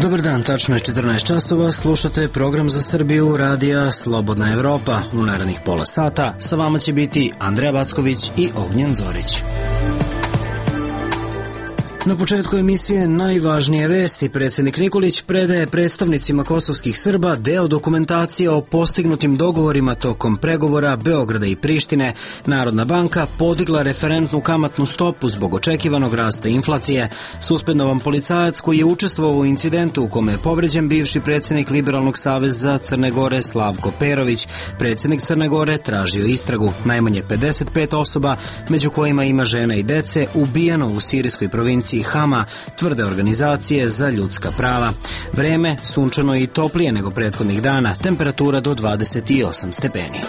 Dobar dan, tačno je 14 časova, slušate program za Srbiju radija Slobodna Evropa. U narednih pola sata sa vama će biti Andreja Backović i Ognjen Zorić. Na početku emisije najvažnije vesti. Predsjednik Nikolić predaje predstavnicima kosovskih Srba deo dokumentacije o postignutim dogovorima tokom pregovora Beograda i Prištine. Narodna banka podigla referentnu kamatnu stopu zbog očekivanog rasta inflacije. Suspendovan policajac koji je učestvovao u incidentu u kome je povređen bivši predsjednik Liberalnog saveza Crne Gore Slavko Perović. Predsjednik Crne Gore tražio istragu. Najmanje 55 osoba, među kojima ima žena i dece, ubijeno u sirijskoj provinciji Hama, tvrde organizacije za ljudska prava. Vreme sunčano i toplije nego prethodnih dana, temperatura do 28 stepeni.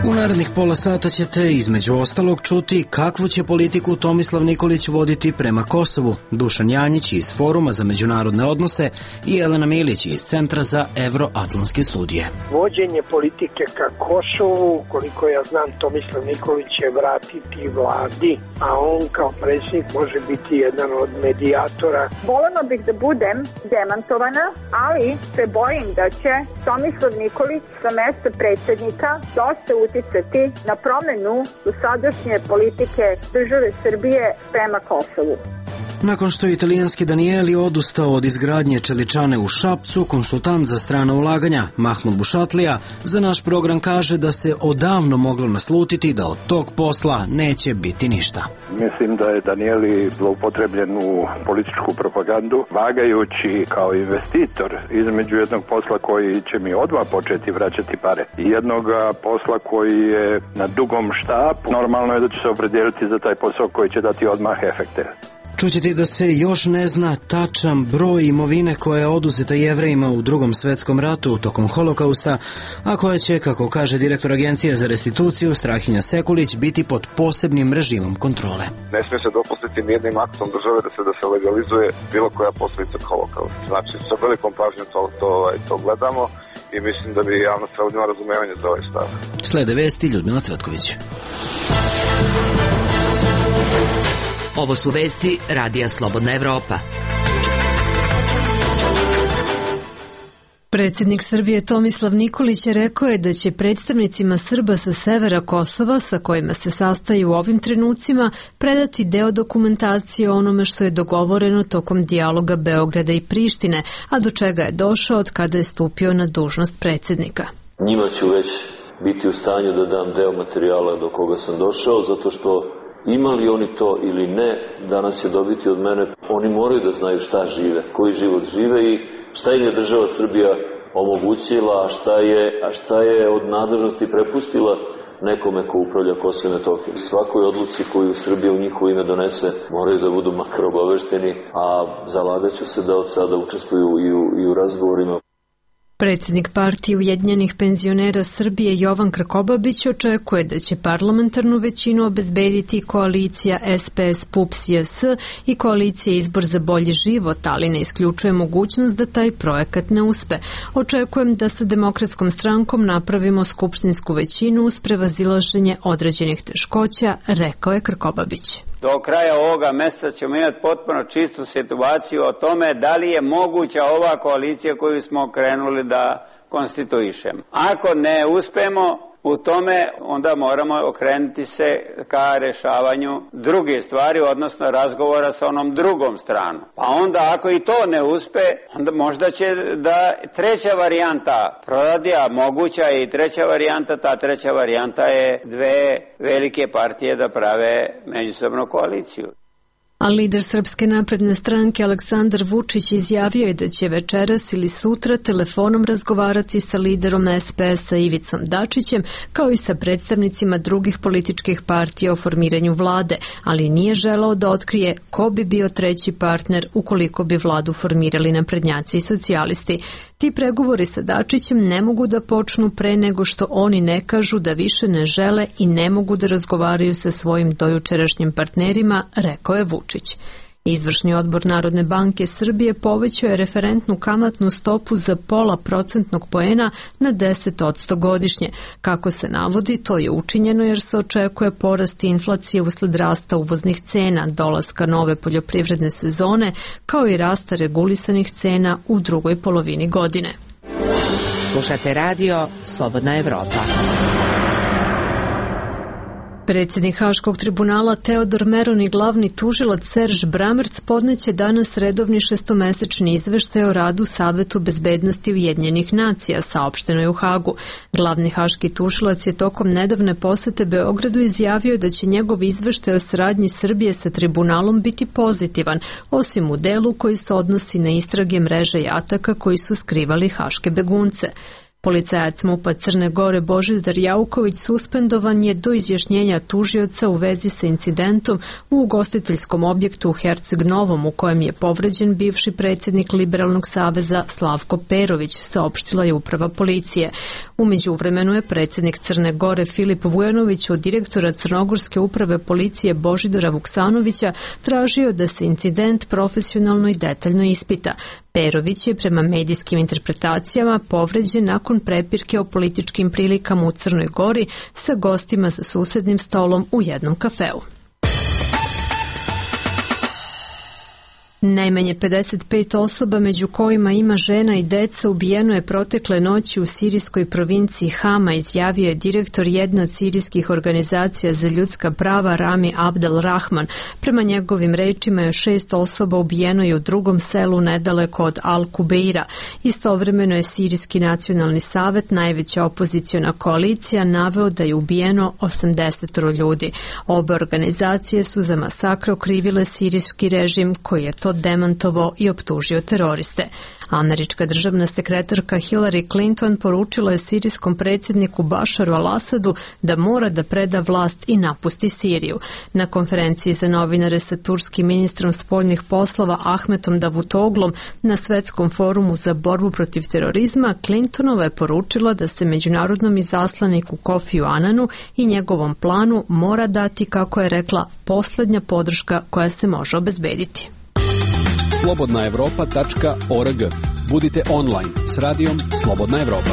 U narednih pola sata ćete između ostalog čuti kakvu će politiku Tomislav Nikolić voditi prema Kosovu, Dušan Janjić iz Foruma za međunarodne odnose i Jelena Milić iz Centra za evroatlantske studije. Vođenje politike ka Kosovu, koliko ja znam, Tomislav Nikolić će vratiti vladi, a on kao predsjednik može biti jedan od medijatora. Voljela bih da budem demantovana, ali se bojim da će Tomislav Nikolić sa mesta predsjednika dosta uticati na promjenu dosadašnje politike države Srbije prema Kosovu. Nakon što je italijanski Danieli odustao od izgradnje čeličane u Šapcu, konsultant za strana ulaganja Mahmud Bušatlija za naš program kaže da se odavno moglo naslutiti da od tog posla neće biti ništa. Mislim da je Danieli zloupotrebljen u političku propagandu, vagajući kao investitor između jednog posla koji će mi odmah početi vraćati pare i jednog posla koji je na dugom štapu. Normalno je da će se opredijeliti za taj posao koji će dati odmah efekte. Čućete da se još ne zna tačan broj imovine koja je oduzeta Jevrejima u Drugom svetskom ratu tokom holokausta, a koja će, kako kaže direktor Agencije za restituciju Strahinja Sekulić, biti pod posebnim režimom kontrole. Ne smije se dopustiti nijednim aktom države da se legalizuje bilo koja posljedica holokausta. Znači, sa velikom pažnjom to gledamo i mislim da bi javnost trebala imati razumevanje za ovaj stav. Slede vesti Ljudmila Cvetković. Ovo su vesti radija Slobodna Evropa. Predsjednik Srbije Tomislav Nikolić rekao je da će predstavnicima Srba sa severa Kosova, sa kojima se sastaju u ovim trenucima, predati deo dokumentacije o onome što je dogovoreno tokom dijaloga Beograda i Prištine, a do čega je došao od kada je stupio na dužnost predsjednika. Njima ću već biti u stanju da dam deo materijala do koga sam došao, zato što imali oni to ili ne, danas će dobiti od mene. Oni moraju da znaju šta žive, koji život žive i šta im je država Srbija omogućila, a šta je od nadležnosti prepustila nekome ko upravlja Kosovo i Metohijom. Svakoj odluci koju Srbija u njihovo ime donese moraju da budu makar obavešteni, a zalagat ću se da od sada učestvuju i u razgovorima. Predsjednik partije Ujedinjenih penzionera Srbije Jovan Krkobabić očekuje da će parlamentarnu većinu obezbediti koalicija SPS-PUPS-JS i koalicija Izbor za bolji život, ali ne isključuje mogućnost da taj projekat ne uspe. Očekujem da sa Demokratskom strankom napravimo skupštinsku većinu uz prevazilaženje određenih teškoća, rekao je Krkobabić. Do kraja ovoga mjeseca ćemo imati potpuno čistu situaciju o tome da li je moguća ova koalicija koju smo krenuli da konstituišemo. Ako ne uspemo u tome, onda moramo okrenuti se ka rješavanju druge stvari, odnosno razgovora sa onom drugom stranom. Pa onda ako i to ne uspe, onda možda će da treća varijanta proradi, a moguća je i treća varijanta. Ta treća varijanta je dve velike partije da prave međusobnu koaliciju. A lider Srpske napredne stranke Aleksandar Vučić izjavio je da će večeras ili sutra telefonom razgovarati sa liderom SPS-a Ivicom Dačićem, kao i sa predstavnicima drugih političkih partija o formiranju vlade, ali nije želeo da otkrije ko bi bio treći partner ukoliko bi vladu formirali naprednjaci i socijalisti. Ti pregovori sa Dačićem ne mogu da počnu pre nego što oni ne kažu da više ne žele i ne mogu da razgovaraju sa svojim dojučerašnjim partnerima, rekao je Vučić. Izvršni odbor Narodne banke Srbije povećao je referentnu kamatnu stopu za 0,5% poena na 10% godišnje. Kako se navodi, to je učinjeno jer se očekuje porast inflacije usled rasta uvoznih cena, dolaska nove poljoprivredne sezone, kao i rasta regulisanih cena u drugoj polovini godine. Slušate radio Slobodna Evropa. Predsjednik Haškog tribunala Teodor Meron i glavni tužilac Serž Bramerc podneće danas redovni šestomesečni izveštaj o radu Savetu bezbednosti Ujedinjenih nacija, saopšteno je u Hagu. Glavni haški tužilac je tokom nedavne posete Beogradu izjavio da će njegov izveštaj o saradnji Srbije sa tribunalom biti pozitivan, osim u delu koji se odnosi na istrage mreže jataka koji su skrivali haške begunce. Policajac MUP-a Crne Gore Božidar Jauković suspendovan je do izjašnjenja tužioca u vezi sa incidentom u ugostiteljskom objektu u Herceg Novom u kojem je povređen bivši predsjednik Liberalnog saveza Slavko Perović, saopštila je uprava policije. U međuvremenu je predsjednik Crne Gore Filip Vujanović od direktora Crnogorske uprave policije Božidara Vuksanovića tražio da se incident profesionalno i detaljno ispita. Perović je prema medijskim interpretacijama povređen nakon prepirke o političkim prilikama u Crnoj Gori sa gostima za susednim stolom u jednom kafeu. Najmanje 55 osoba, među kojima ima žena i deca, ubijeno je protekle noći u sirijskoj provinciji Hama, izjavio je direktor jedne od sirijskih organizacija za ljudska prava Rami Abdel Rahman. Prema njegovim rečima je 6 osoba ubijeno i u drugom selu nedaleko od Al-Kubeira. Istovremeno je Sirijski nacionalni savet, najveća opoziciona koalicija, naveo da je ubijeno 80 ljudi. Obe organizacije su za masakr okrivile sirijski režim koji je to demantovao i optužio teroriste. Američka državna sekretarka Hillary Clinton poručila je sirijskom predsjedniku Bašaru al-Asadu da mora da preda vlast i napusti Siriju. Na konferenciji za novinare sa turskim ministrom spoljnih poslova Ahmetom Davutoglom na Svetskom forumu za borbu protiv terorizma, Clintonova je poručila da se međunarodnom izaslaniku Kofiju Ananu i njegovom planu mora dati, kako je rekla, poslednja podrška koja se može obezbediti. slobodnaevropa.org. Budite online s radijom Slobodna Evropa.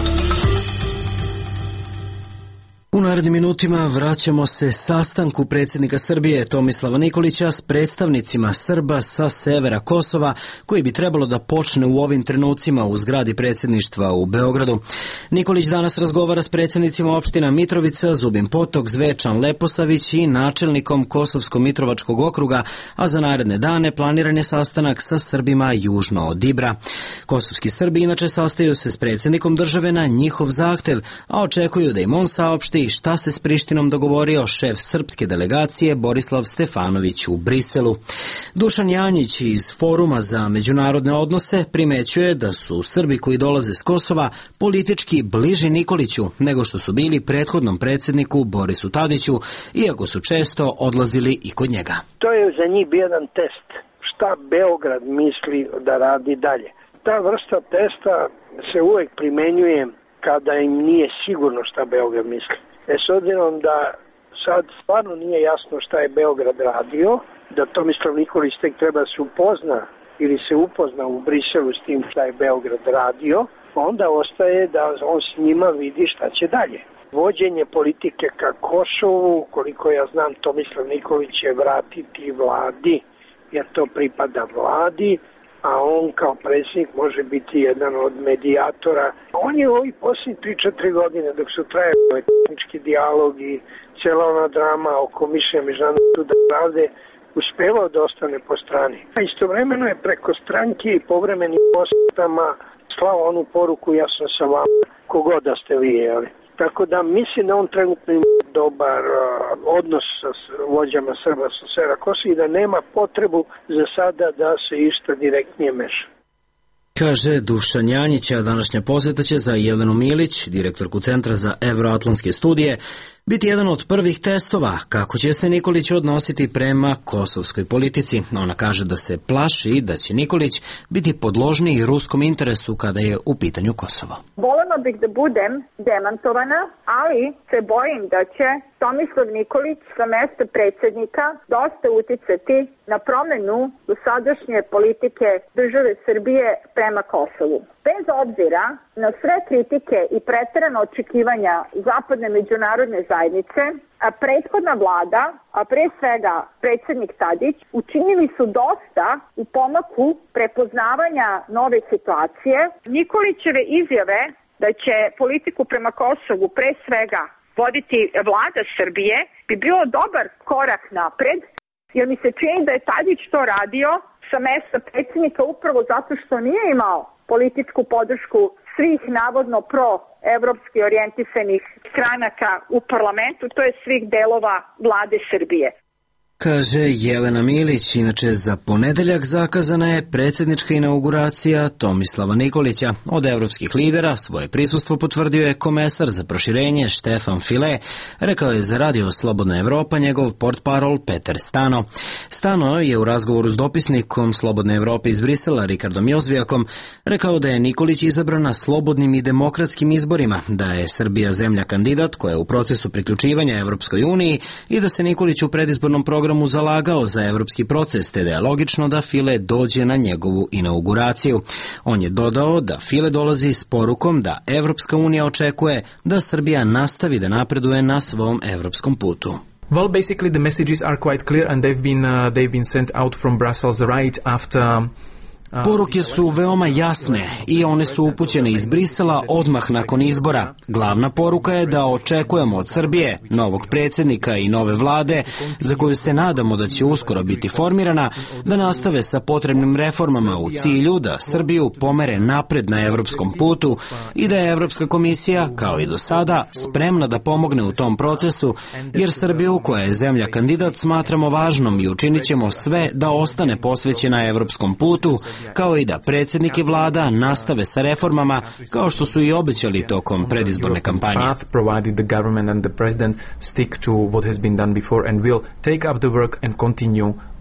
U narednim minutima vraćamo se sastanku predsjednika Srbije Tomislava Nikolića s predstavnicima Srba sa severa Kosova, koji bi trebalo da počne u ovim trenucima u zgradi predsjedništva u Beogradu. Nikolić danas razgovara s predsjednicima opština Mitrovica, Zubin Potok, Zvečan, Leposavić i načelnikom Kosovsko-Mitrovačkog okruga, a za naredne dane planiran je sastanak sa Srbima južno od Ibra. Kosovski Srbi inače sastaju se s predsjednikom države na njihov zahtev, a očekuju da im on saopšti šta se s Prištinom dogovorio šef srpske delegacije Borislav Stefanović u Briselu. Dušan Janjić iz Foruma za međunarodne odnose primećuje da su Srbi koji dolaze s Kosova politički bliži Nikoliću nego što su bili prethodnom predsjedniku Borisu Tadiću, iako su često odlazili i kod njega. To je za njih bio jedan test. Šta Beograd misli da radi dalje? Ta vrsta testa se uvek primenjuje kada im nije sigurno šta Beograd misli. S obzirom da sad stvarno nije jasno šta je Beograd radio, da Tomislav Nikolić tek treba se upozna ili se upozna u Briselu s tim šta je Beograd radio, onda ostaje da on s njima vidi šta će dalje. Vođenje politike ka Kosovu, koliko ja znam, Tomislav Nikolić će vratiti vladi, jer to pripada vladi, a on kao predsjednik može biti jedan od medijatora. On je u ovih posljednjih 3-4 godine, dok su trajali tehnički dijalog i cijela ona drama oko mišljenja Međunarodnog suda pravde, uspevao da ostane po strani. A istovremeno je preko stranke i povremenim posjetama slao onu poruku: ja sam sa vama, kogod da ste vi, jeli. Tako da mislim da on trenutno ima dobar odnos sa vođama Srba sa severa Kosova i da nema potrebu za sada da se išta direktnije meša. Kaže Dušan Janjić, a današnja posjeta će za Jelenu Milić, direktorku Centra za evroatlantske studije, biti jedan od prvih testova kako će se Nikolić odnositi prema kosovskoj politici. Ona kaže da se plaši da će Nikolić biti podložniji ruskom interesu kada je u pitanju Kosovo. Volela bih da budem demantovana, ali se bojim da će Tomislav Nikolić sa mesta predsjednika dosta uticati na promenu dosadašnje politike države Srbije prema Kosovu. Bez obzira na sve kritike i preterana očekivanja zapadne međunarodne zajednice, a prethodna vlada, a pre svega predsjednik Tadić, učinili su dosta u pomaku prepoznavanja nove situacije. Nikolićeve izjave da će politiku prema Kosovu pre svega voditi vlada Srbije bi bilo dobar korak napred, jer mi se čini da je Tadić to radio sa mesta predsjednika upravo zato što nije imao političku podršku svih navodno pro-evropski orijentisanih stranaka u parlamentu, to je svih delova vlade Srbije. Kaže Jelena Milić. Inače, za ponedeljak zakazana je predsjednička inauguracija Tomislava Nikolića. Od evropskih lidera svoje prisustvo potvrdio je komesar za proširenje Štefan File, rekao je za Radio Slobodna Evropa njegov portparol Peter Stano. Stano je u razgovoru s dopisnikom Slobodne Evrope iz Brisela Rikardom Jozvijakom rekao da je Nikolić izabran na slobodnim i demokratskim izborima, da je Srbija zemlja kandidat koja je u procesu priključivanja Evropskoj uniji i da se Nikolić u predizbornom programu zalagao za evropski proces, te da je logično da File dođe na njegovu inauguraciju. On je dodao da File dolazi s porukom da Evropska unija očekuje da Srbija nastavi da napreduje na svom evropskom putu. Well, basically the messages are quite clear and they've been sent out from Brussels right after Poruke su veoma jasne i one su upućene iz Brisela odmah nakon izbora. Glavna poruka je da očekujemo od Srbije, novog predsjednika i nove vlade, za koju se nadamo da će uskoro biti formirana, da nastave sa potrebnim reformama u cilju da Srbiju pomere napred na evropskom putu i da je Evropska komisija, kao i do sada, spremna da pomogne u tom procesu, jer Srbiju, koja je zemlja kandidat, smatramo važnom i učinit ćemo sve da ostane posvećena evropskom putu, kao i da predsjednik i vlada nastave sa reformama kao što su i obećali tokom predizborne kampanje.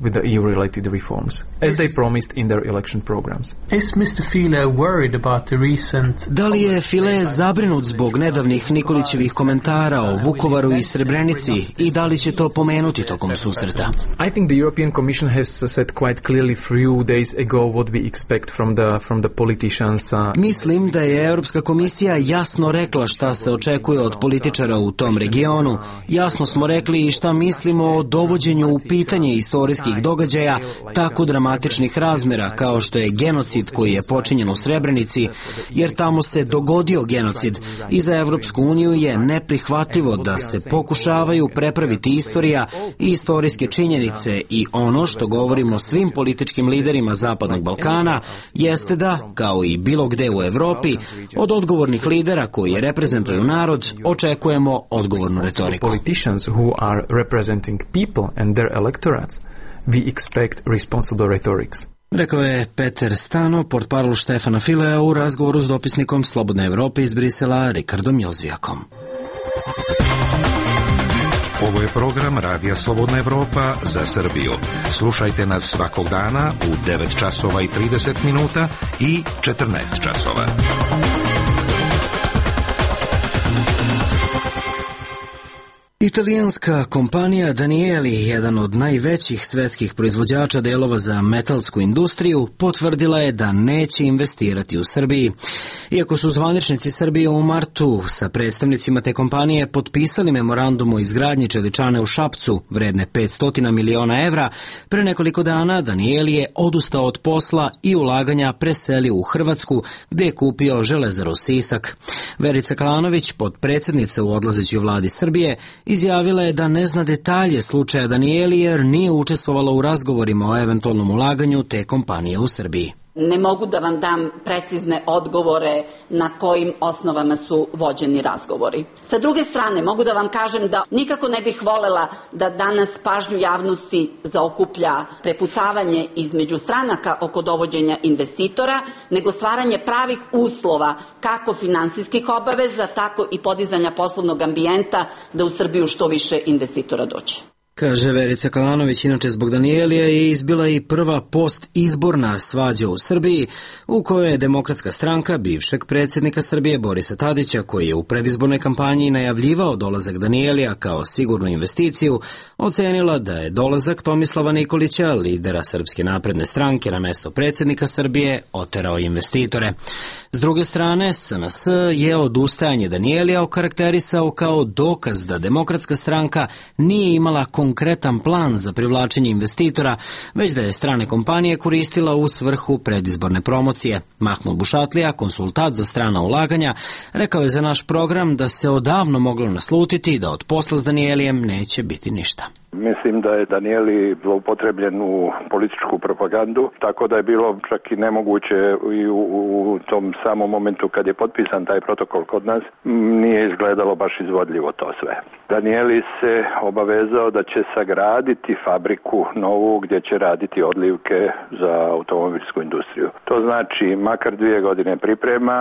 With the EU-related reforms, as they promised in their election programs. Is Mr. File worried about the recent... Da li je File zabrinut zbog nedavnih Nikolićevih komentara o Vukovaru i Srebrenici i da li će to pomenuti tokom susreta? I think the European Commission has said quite clearly few days ago what we expect from the politicians. Mislim da je Europska komisija jasno rekla šta se očekuje od političara u tom regionu. Jasno smo rekli i šta mislimo o dovođenju u pitanje istorijskih događaja tako dramatičnih razmera kao što je genocid koji je počinjen u Srebrenici, jer tamo se dogodio genocid i za Evropsku uniju je neprihvatljivo da se pokušavaju prepraviti istorija i istorijske činjenice i ono što govorimo svim političkim liderima Zapadnog Balkana jeste da, kao i bilo gde u Evropi, od odgovornih lidera koji reprezentuju narod očekujemo odgovornu retoriku. We expect responsible rhetorics. Rekao je Peter Stano, portparol Štefana Filea u razgovoru s dopisnikom Slobodne Evrope iz Brisela Rikardom Jozvijakom. Ovo je program Radija Slobodna Evropa za Srbiju. Slušajte nas svakog dana u 9 časova i 30 minuta i 14 časova. Italijanska kompanija Danieli, jedan od najvećih svetskih proizvođača delova za metalsku industriju, potvrdila je da neće investirati u Srbiji. Iako su zvaničnici Srbije u martu sa predstavnicima te kompanije potpisali memorandum o izgradnji čeličane u Šapcu vredne 500 miliona evra, pre nekoliko dana Danieli je odustao od posla i ulaganja preselio u Hrvatsku, gde je kupio Železaru Sisak. Verica Kalanović, potpredsjednica u odlazećoj vladi Srbije, izjavila je da ne zna detalje slučaja Danieli jer nije učestvovala u razgovorima o eventualnom ulaganju te kompanije u Srbiji. Ne mogu da vam dam precizne odgovore na kojim osnovama su vođeni razgovori. Sa druge strane, mogu da vam kažem da nikako ne bih volela da danas pažnju javnosti zaokuplja prepucavanje između stranaka oko dovođenja investitora, nego stvaranje pravih uslova kako finansijskih obaveza, tako i podizanja poslovnog ambijenta da u Srbiju što više investitora dođe. Kaže Verica Kalanović, inače zbog Danijelija je izbila i prva postizborna svađa u Srbiji u kojoj je Demokratska stranka bivšeg predsjednika Srbije Borisa Tadića, koji je u predizbornoj kampanji najavljivao dolazak Danijelija kao sigurnu investiciju, ocenila da je dolazak Tomislava Nikolića, lidera Srpske napredne stranke na mesto predsjednika Srbije, oterao investitore. S druge strane, SNS je odustajanje Danijelija okarakterisao kao dokaz da Demokratska stranka nije imala konkretan plan za privlačenje investitora, već da je strane kompanije koristila u svrhu predizborne promocije. Mahmud Bušatlija, konsultant za strana ulaganja, rekao je za naš program da se odavno moglo naslutiti da od posla s Danijelijem neće biti ništa. Mislim da je Danijeli zloupotrebljen u političku propagandu, tako da je bilo čak i nemoguće i u tom samom momentu kad je potpisan taj protokol kod nas, nije izgledalo baš izvodljivo to sve. Danijeli se obavezao da će sagraditi fabriku novu gdje će raditi odlivke za automobilsku industriju. To znači makar 2 godine priprema,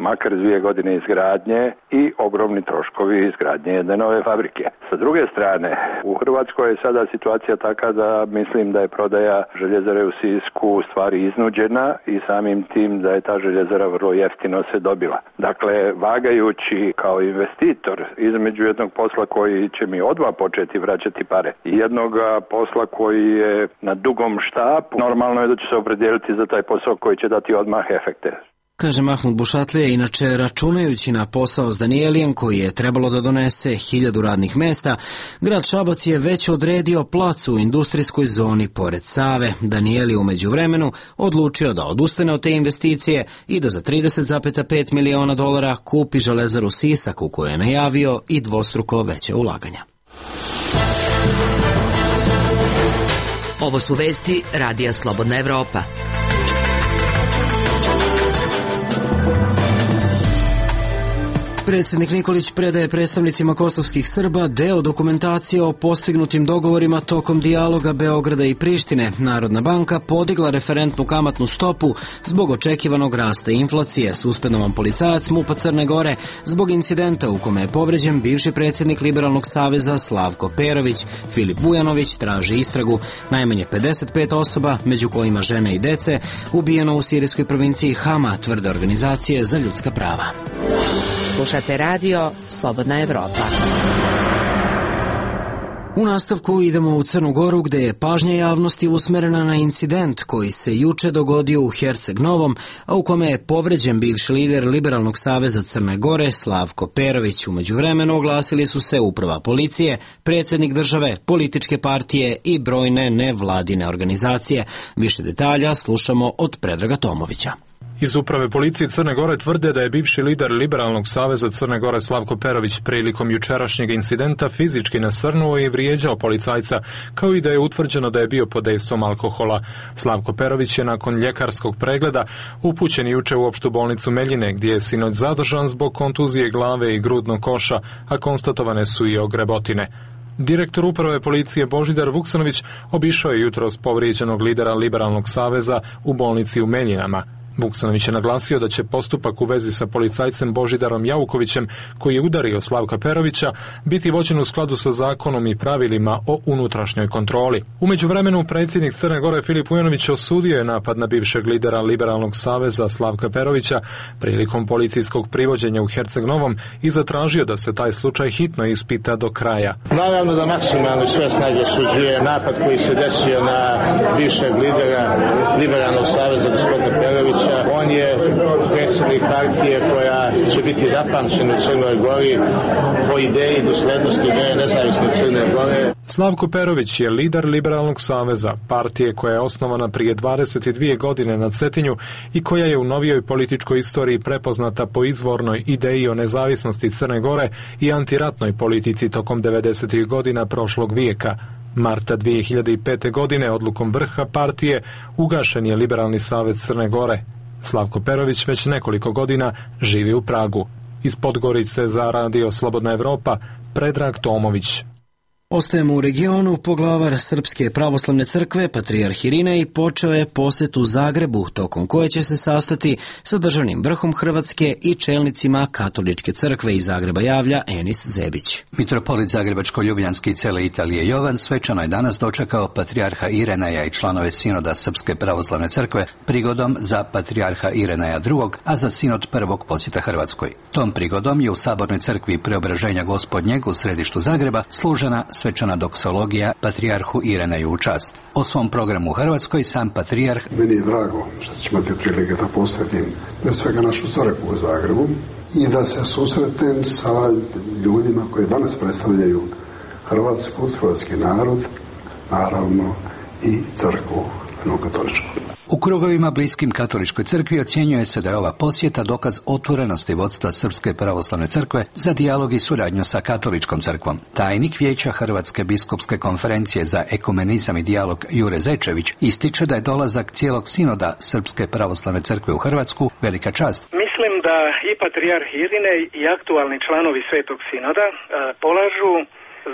makar 2 godine izgradnje i ogromni troškovi izgradnje jedne nove fabrike. Sa druge strane, u Hrvatskoj je sada situacija taka da mislim da je prodaja željezare u Sisku u stvari iznuđena i samim tim da je ta željezara vrlo jeftino se dobila. Dakle, vagajući kao investitor između jednog posla koji će mi odmah početi vraćati pare i jednog posla koji je na dugom štapu, normalno je da će se opredijeliti za taj posao koji će dati odmah efekte. Kaže Mahmud Bušatlija, inače računajući na posao s Danijelijem koji je trebalo da donese 1000 radnih mesta, grad Šabac je već odredio plac u industrijskoj zoni pored Save. Danijeli u međuvremenu odlučio da odustane od te investicije i da za $30,5 miliona kupi železaru Sisak u kojoj je najavio i dvostruko veće ulaganja. Ovo su vesti Radija Slobodna Evropa. Predsjednik Nikolić predaje predstavnicima kosovskih Srba deo dokumentacije o postignutim dogovorima tokom dijaloga Beograda i Prištine. Narodna banka podigla referentnu kamatnu stopu zbog očekivanog rasta inflacije. Suspendovan policajac MUP-a Crne Gore zbog incidenta u kome je povređen bivši predsjednik Liberalnog saveza Slavko Perović. Filip Bujanović traži istragu. Najmanje 55 osoba, među kojima žene i dece, ubijeno u sirijskoj provinciji Hama, tvrde organizacije za ljudska prava. Slušate radio Slobodna Evropa. U nastavku idemo u Crnu Goru gde je pažnja javnosti usmerena na incident koji se juče dogodio u Herceg Novom, a u kome je povređen bivši lider Liberalnog saveza Crne Gore Slavko Perović. U međuvremenu oglasili su se uprava policije, predsjednik države, političke partije i brojne nevladine organizacije. Više detalja slušamo od Predraga Tomovića. Iz uprave policije Crne Gore tvrde da je bivši lider Liberalnog saveza Crne Gore Slavko Perović prilikom jučerašnjeg incidenta fizički nasrnuo i vrijeđao policajca, kao i da je utvrđeno da je bio pod dejstvom alkohola. Slavko Perović je nakon ljekarskog pregleda upućen juče u opštu bolnicu Meljine, gdje je sinoć zadržan zbog kontuzije glave i grudnog koša, a konstatovane su i ogrebotine. Direktor uprave policije Božidar Vuksanović obišao je jutros povrijeđenog lidera Liberalnog saveza u bolnici u Meljinama. Vuksanović je naglasio da će postupak u vezi sa policajcem Božidarom Jaukovićem, koji je udario Slavka Perovića, biti vođen u skladu sa zakonom i pravilima o unutrašnjoj kontroli. U međuvremenu predsjednik Crne Gore Filip Bujanović osudio je napad na bivšeg lidera Liberalnog saveza Slavka Perovića prilikom policijskog privođenja u Herceg Novom i zatražio da se taj slučaj hitno ispita do kraja. Naravno da maksimalno sve snage osuđuje napad koji se desio na bivšeg lidera Liberalnog saveza gospodina Perovića. On je predsjednik partije koja će biti zapamćena u Crnoj Gori po ideji doslednosti ideje nezavisne Crne Gore. Slavko Perović je lider Liberalnog saveza, partije koja je osnovana prije 22 godine na Cetinju i koja je u novijoj političkoj istoriji prepoznata po izvornoj ideji o nezavisnosti Crne Gore i antiratnoj politici tokom 90. godina prošlog vijeka. Marta 2005. godine odlukom vrha partije ugašen je Liberalni savez Crne Gore. Slavko Perović već nekoliko godina živi u Pragu. Iz Podgorice za Radio Slobodna Evropa, Predrag Tomović. Ostajemo u regionu. Poglavar Srpske pravoslavne crkve, patrijarh Irinej, počeo je posjet u Zagrebu, tokom koje će se sastati sa državnim vrhom Hrvatske i čelnicima Katoličke crkve iz Zagreba, javlja Enis Zebić. Mitropolit Zagrebačko-Ljubljanski i cele Italije Jovan svečano je danas dočekao patrijarha Irineja i članove sinoda Srpske pravoslavne crkve prigodom za patrijarha Irineja II, a za sinod prvog posjeta Hrvatskoj. Tom prigodom je u Sabornoj crkvi Preobraženja Gospodnjeg u središtu Zagreba služena svečana doksologija patrijarhu Irineju u čast. O svom programu u Hrvatskoj sam patrijarh: Meni je drago što ću imati prilike da posjetim pre svega našu crkvu u Zagrebu i da se susretem sa ljudima koji danas predstavljaju Hrvatsku, hrvatski narod, naravno i crkvu katoličku. U krugovima bliskim Katoličkoj crkvi ocjenjuje se da je ova posjeta dokaz otvorenosti vodstva Srpske pravoslavne crkve za dijalog i suradnju sa Katoličkom crkvom. Tajnik Vijeća Hrvatske biskupske konferencije za ekumenizam i dijalog Jure Zečević ističe da je dolazak cijelog sinoda Srpske pravoslavne crkve u Hrvatsku velika čast. Mislim da i patrijarh Irinej i aktualni članovi Svetog sinoda polažu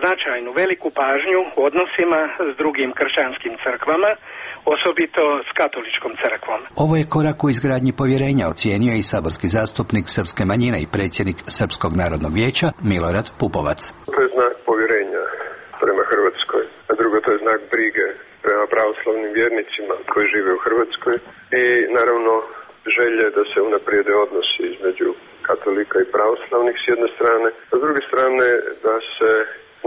značajnu veliku pažnju u odnosima s drugim kršćanskim crkvama, osobito s Katoličkom crkvom. Ovo je korak u izgradnji povjerenja, ocijenio i saborski zastupnik srpske manjine i predsjednik Srpskog narodnog vijeća Milorad Pupovac. To je znak povjerenja prema Hrvatskoj, a drugo to je znak brige prema pravoslavnim vjernicima koji žive u Hrvatskoj i naravno želje da se unaprijede odnosi između katolika i pravoslavnih s jedne strane, a s druge strane da se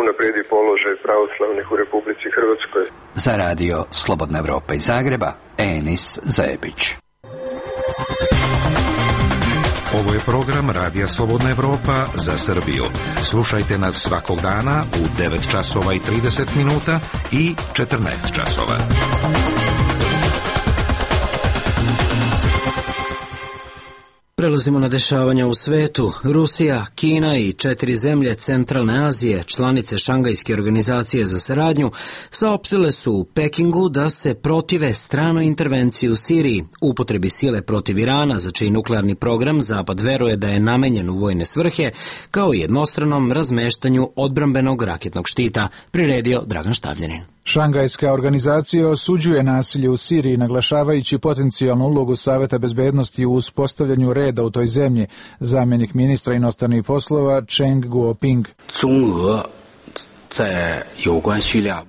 unaprijedi položaj pravoslavnih u Republici Hrvatskoj. Za Radio Slobodna Evropa iz Zagreba, Enis Zebić. Ovo je program Radija Slobodna Evropa za Srbiju. Slušajte nas svakog dana u 9 časova i 30 minuta i 14 časova. Prelazimo na dešavanja u svetu. Rusija, Kina i 4 zemlje Centralne Azije, članice Šangajske organizacije za saradnju, saopštile su u Pekingu da se protive stranoj intervenciji u Siriji, upotrebi sile protiv Irana, za čiji nuklearni program Zapad veruje da je namenjen u vojne svrhe, kao i jednostranom razmeštanju odbrambenog raketnog štita, priredio Dragan Štavljanin. Šangajska organizacija osuđuje nasilje u Siriji, naglašavajući potencijalnu ulogu Saveta bezbednosti u uspostavljanju reda u toj zemlji. Zamjenik ministra inostranih poslova Cheng Guoping.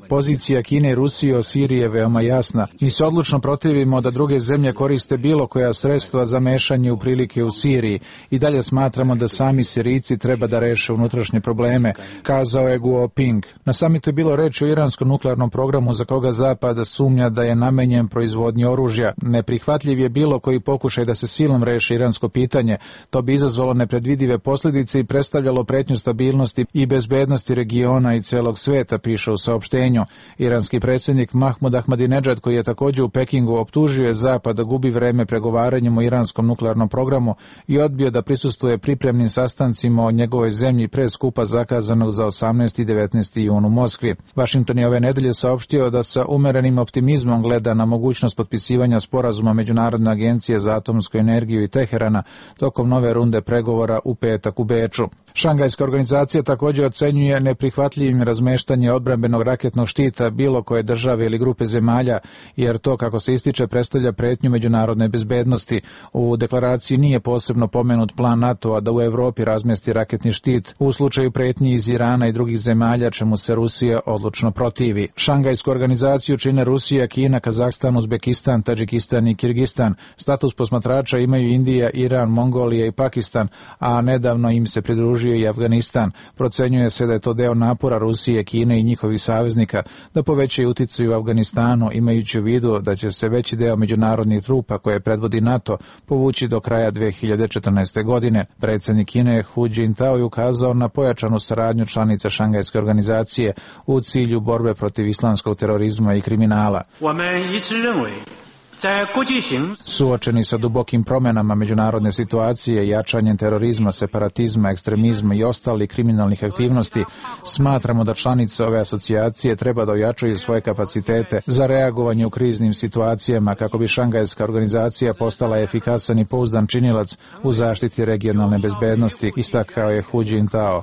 Pozicija Kine i Rusije o Siriji je veoma jasna. Mi se odlučno protivimo da druge zemlje koriste bilo koja sredstva za mešanje u prilike u Siriji i dalje smatramo da sami Sirijci treba da reše unutrašnje probleme, kazao je Guoping. Na samitu je bilo reči o iranskom nuklearnom programu za koga Zapad sumnja da je namenjen proizvodnji oružja. Neprihvatljiv je bilo koji pokušaj da se silom reši iransko pitanje. To bi izazvalo nepredvidive posljedice i predstavljalo pretnju stabilnosti i bezbednosti regiona i celog sveta, piše u saopštenju. Iranski predsjednik Mahmud Ahmadinejad, koji je također u Pekingu, optužio je Zapad da gubi vreme pregovaranjem o iranskom nuklearnom programu i odbio da prisustvuje pripremnim sastancima o njegovoj zemlji pre skupa zakazanog za 18. i 19. jun u Moskvi. Washington je ove nedelje saopštio da sa umerenim optimizmom gleda na mogućnost potpisivanja sporazuma Međunarodne agencije za atomsku energiju i Teherana tokom nove runde pregovora u petak u Beču. Šangajska organizacija također ocenjuje neprihvatljivim razmeštanje odbrambenog raketnog štita bilo koje države ili grupe zemalja, jer to, kako se ističe, predstavlja pretnju međunarodne bezbednosti. U deklaraciji nije posebno pomenut plan NATO-a da u Evropi razmesti raketni štit u slučaju pretnji iz Irana i drugih zemalja, čemu se Rusija odlučno protivi. Šangajsku organizaciju čine Rusija, Kina, Kazahstan, Uzbekistan, Tadžikistan i Kirgistan. Status posmatrača imaju Indija, Iran, Mongolija i Pakistan, a nedavno im se pridružio i Afganistan. Procenjuje se da je to deo napora Rusije, Kine i njihovih saveznika da povećaju uticaj u Afganistanu, imajući u vidu da će se veći deo međunarodnih trupa koje predvodi NATO povući do kraja 2014. godine. Predsjednik Kine Hu Jintao je ukazao na pojačanu saradnju članica Šangajske organizacije u cilju borbe protiv islamskog terorizma i kriminala. Suočeni sa dubokim promenama međunarodne situacije, jačanjem terorizma, separatizma, ekstremizma i ostalih kriminalnih aktivnosti, smatramo da članice ove asocijacije treba da ojačaju svoje kapacitete za reagovanje u kriznim situacijama kako bi Šangajska organizacija postala efikasan i pouzdan činilac u zaštiti regionalne bezbednosti, istakao je Hu Jintao.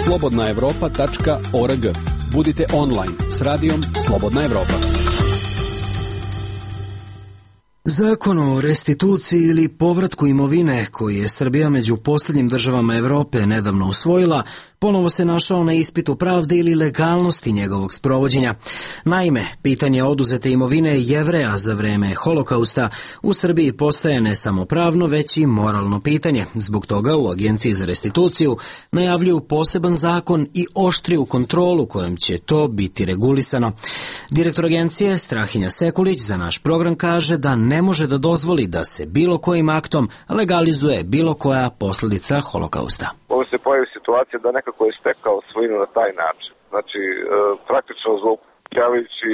slobodnaevropa.org. Budite online s radijom Slobodna Evropa. Zakon o restituciji ili povratku imovine koji je Srbija među posljednjim državama Evrope nedavno usvojila, ponovo se našao na ispitu pravde ili legalnosti njegovog sprovođenja. Naime, pitanje oduzete imovine Jevreja za vreme Holokausta u Srbiji postaje ne samo pravno, već i moralno pitanje. Zbog toga u Agenciji za restituciju najavljuju poseban zakon i oštriju kontrolu kojom će to biti regulisano. Direktor agencije Strahinja Sekulić za naš program kaže da ne može da dozvoli da se bilo kojim aktom legalizuje bilo koja posljedica Holokausta. Ovo se pojavi situacija da nekako je stekao svojinu na taj način. Znači, praktično zloupotrebljavajući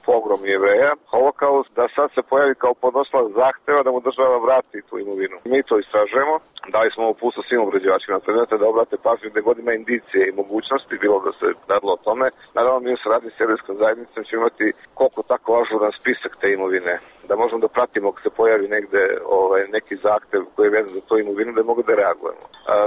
pogrom Jevreja, Holokaust, da sad se pojavi kao podnosilac zahteva da mu država vrati tu imovinu. Mi to istražujemo, dali smo uputstvo svim obrađivačima predmeta da obrate pažnju gde god ima indicije i mogućnosti, bilo da se radilo o tome. Naravno, mi u saradnji s Jevrejskom zajednicom ćemo imati koliko tako ažuran spisak te imovine, da možemo da pratimo ako se pojavi negde neki zahtev koji je vezan za tu imovinu, da mogu da reagujemo.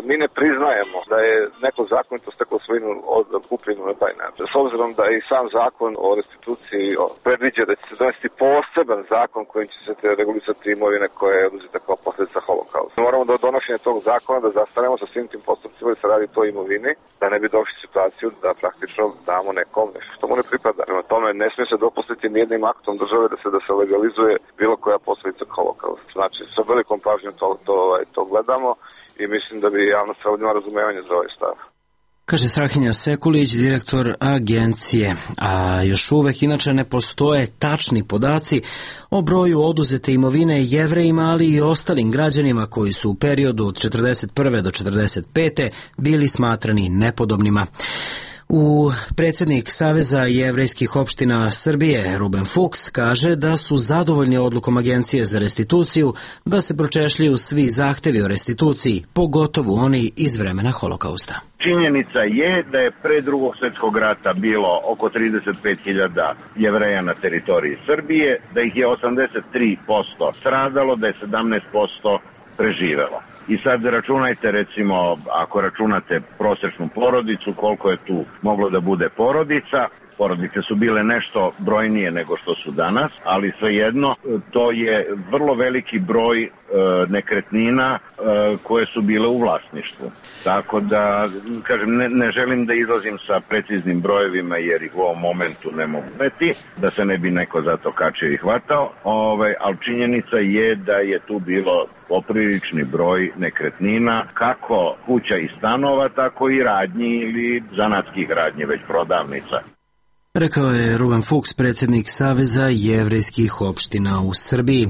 Mi ne priznajemo da je neko zakonito steklo svojinu od kupljenu na taj način. S obzirom da i sam zakon o restituciji predviđa da će se donesti poseban zakon kojim će se regulisati imovine koja je oduzeta kao posljedica Holokausta. Moramo do donošenja tog zakona da zastanemo sa svim tim postupcima da se radi o toj imovini, da ne bi došli situaciju da praktično damo nekom nešto što mu ne pripada. Prema tome ne smije se dopustiti nijednim aktom države da se legalizuje bilo koja posljedica Holokausta. Znači, sa velikom pažnjom to gledamo i mislim da bi javnost trebala ima razumevanje za ovaj stav. Kaže Strahinja Sekulić, direktor agencije. A još uvek inače ne postoje tačni podaci o broju oduzete imovine Jevrejima, ali i ostalim građanima koji su u periodu od 41. do 45. bili smatrani nepodobnima. Predsjednik Saveza jevrejskih opština Srbije, Ruben Fuchs, kaže da su zadovoljni odlukom Agencije za restituciju da se pročešljaju svi zahtevi o restituciji, pogotovo oni iz vremena Holokausta. Činjenica je da je pre Drugog svjetskog rata bilo oko 35.000 Jevreja na teritoriji Srbije, da ih je 83% stradalo, da je 17% preživelo. I sad računajte, recimo, ako računate prosječnu porodicu, koliko je tu moglo da bude porodica. Porodice su bile nešto brojnije nego što su danas, ali svejedno to je vrlo veliki broj nekretnina koje su bile u vlasništvu. Tako da, kažem, ne želim da izlazim sa preciznim brojevima jer ih u ovom momentu ne mogu veti, da se ne bi neko za to kačio i hvatao, ali činjenica je da je tu bilo poprilični broj nekretnina, kako kuća i stanova, tako i radnji ili zanatskih radnji, već prodavnica. Rekao je Ruben Fuchs, predsjednik Saveza jevrejskih opština u Srbiji.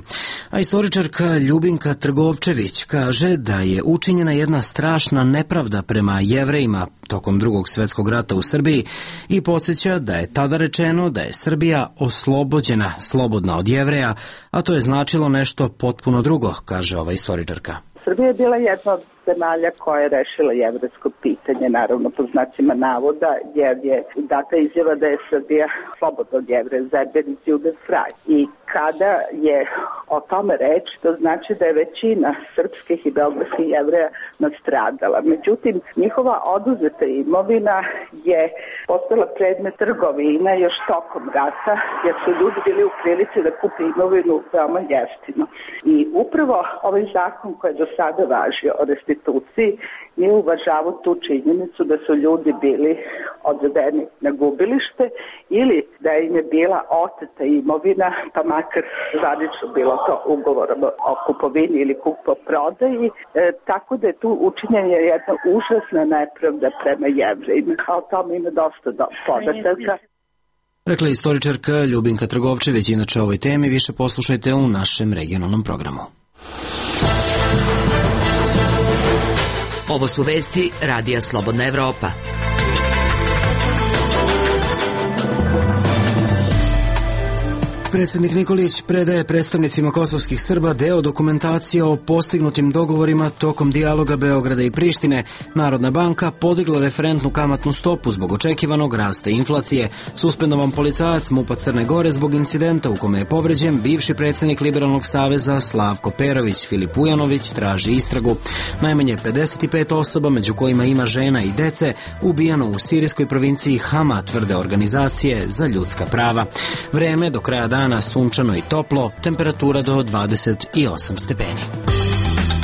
A istoričarka Ljubinka Trgovčević kaže da je učinjena jedna strašna nepravda prema Jevrejima tokom Drugog svjetskog rata u Srbiji i podsjeća da je tada rečeno da je Srbija oslobođena, slobodna od Jevreja, a to je značilo nešto potpuno drugo, kaže ova istoričarka. Srbija je bila jedna od zemalja koja je rešila jevrejsko pitanje, naravno po znacima navoda, jer je data izjava da je Srbija slobodna od Jevreja, Zerbenis Juden frei. I kada je o tome reč, to znači da je većina srpskih i beogradskih Jevreja nastradala. Međutim, njihova oduzeta imovina je postala predmet trgovina još tokom rata, jer su ljudi bili u prilici da kupe imovinu veoma jeftino. I upravo ovaj zakon koji je do sada važio o restituciji nije uvažavao tu činjenicu da su ljudi bili odvedeni na gubilište ili da im je bila oteta imovina, pa makar zvanično bilo to ugovorom o kupovini ili kupoprodaji, tako da je tu učinjena jedna užasna nepravda prema Jevrejima, a o tome ima dosta podataka. Rekla je istoričarka Ljubinka Trgovčević. Inače o ovoj temi više poslušajte u našem regionalnom programu. Ovo su vesti Radija Slobodna Evropa. Predsjednik Nikolić predaje predstavnicima kosovskih Srba deo dokumentacije o postignutim dogovorima tokom dijaloga Beograda i Prištine. Narodna banka podigla referentnu kamatnu stopu zbog očekivanog rasta inflacije. Suspendovan policajac MUP-a Crne Gore zbog incidenta u kome je povređen bivši predsjednik Liberalnog saveza Slavko Perović. Filip Ujanović traži istragu. Najmanje 55 osoba, među kojima ima žena i dece, ubijano u sirijskoj provinciji Hama, tvrde organizacije za ljudska prava. Vreme do kraja dana sunčano i toplo, temperatura do 28 stepeni.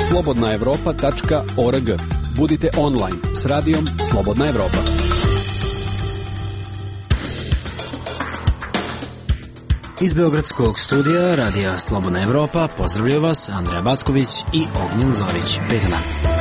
slobodnaevropa.org. Budite online s radijom Slobodna Evropa. Iz beogradskog studija radija Slobodna Evropa pozdravljaju vas Andreja Backović i Ognjen Zorić. Prijetan dan.